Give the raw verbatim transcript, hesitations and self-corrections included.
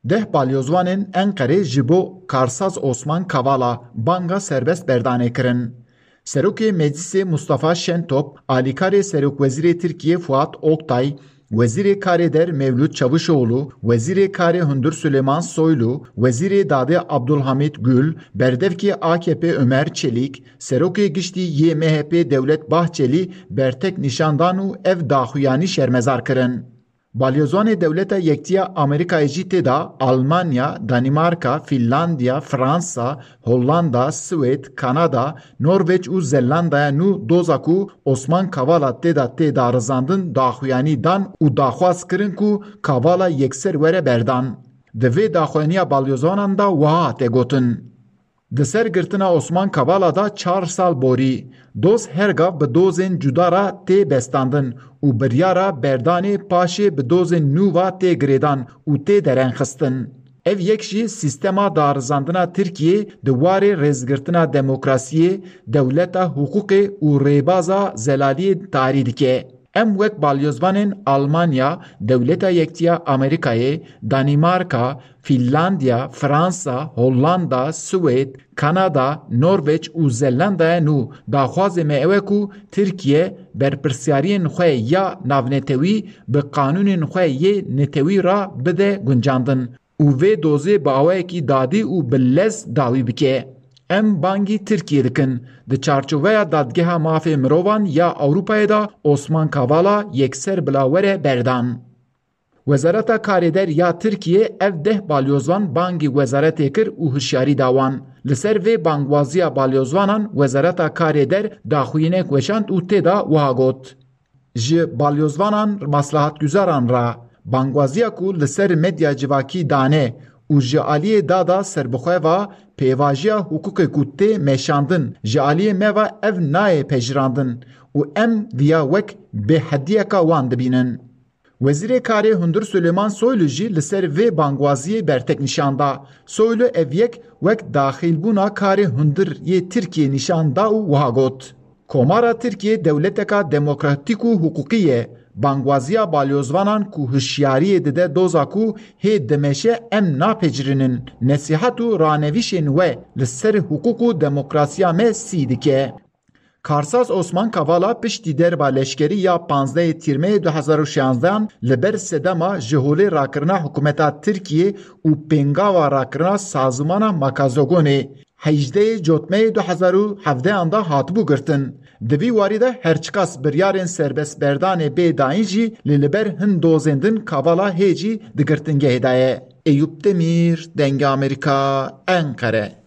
Deh balyozvanên Enqerê ji bo karsaz Osman Kavala banga serbest berdanê kirin. Serokê Meclisê Mustafa Şentop, alîkarê Serokwezîrê Tirkiyê Fuat Oktay, Wezîrê Karê Der Mevlût Çavuşoğlu, Wezîrê Karê Hundir Süleyman Soylu, Wezîrê Dadê Abdulhamit Gül, Berdevkê A K P Ömer Çelik, Serokê Giştî yê M H P Devlet Bahçeli bertek nîşan dan û ev daxuyanî şermezar kirin. Balyozvanê Dewleta Yektiya Amerîkayê jî tê de Almanya, Danîmarka, Fînlandiya, Fransa, Hollanda, Swêd, Kanada, Norveç û Zelandaya nû doza ku Osman Kavala tê de tê darizandin daxuyanî dan û daxwaz kirin ku Kavala yekser were berdan. Di vê daxuyaniya balyozvanan de wiha hate gotin. Di ser girtina Osman Kavala de çar sal borî, doz her gav bi dozên cuda re tê bestandin û biryara berdanê paşê bi dozên nû ve tê girêdan û tê derengxistin. Ev yek jî sîstema darizandina Tirkiyê di warê rêzgirtina demokrasiyê, dewleta hiqûqê û rêbaza zelaliyê tarî dike. Em wek balyozvanên Almanya, Dewleta Yektiya Amerîkayê, Danîmarka, Fînlandiya, Fransa, Hollanda, Swêd, Kanada, Norveç û Zelandaya nû daxwazê me ew e ku Tirkiye berpirsyariyên xwe ya navnetewî bi qanûnên xwe yê netewî re bide guncandin û vê dozê bi awayekî dadî û bi lez dawî bike. Em bangî Tirkiyê dikin. Di çarçoveya Dadgeha Mafê Mirovan ya Ewropayê de Osman Kavala yekser bila were berdan. Wezareta Karê Der ya Tirkiyê ev deh balyozvan bangî wezaretê kir û hişyarî da wan. Li ser vê bangwaziya balyozvanan Wezareta Karê Der daxuyinek weşand û tê de wiha got: Ji balyozvanan maslahatguzaran re bangwaziya ku li ser medya civakî dane û ji aliyê dada serbixwe ve pêvajiya hiqûqê ku tê meşandin ji aliyê me ve ev nayê pejirandin û em viya wek bêhediyeka wan dibînin. Wezîrê Karê Hundir Suleyman Soylu jî li ser vê bangwaziyê bertek nîşan da. Soylu ev yek wek daxîlbûna karê hundir yê Tirkiyê nîşan da û wiha got: Komara Tirkiyê dewleteka demokratîk û hiqûqî ye. Bangwaziya balyozvanan ku hişyariyê dide doza ku hê dimeşe em napecirînin, nesîhat û ranevîşên we li ser hiqûq û demokrasiya me sî dike. Karsaz Osman Kavala piştî derba leşkerî ya panzdehê Tîrmeyê du hezar û şanzdehan li ber sedema ji holê rakirina hikûmeta Tirkiyê û pêngava rakirina sazûmana Makazogonê hejdehê Cotmeyê du hezar û hevdehan de hatibû girtin. Di vî warî de her çiqas biryarên serbestberdanê bê dayîn jî lê li ber hin dozên din Kavala hê jî di girtingehê de ye. Eyûp Demîr, Dengê Amerîka, Enqere.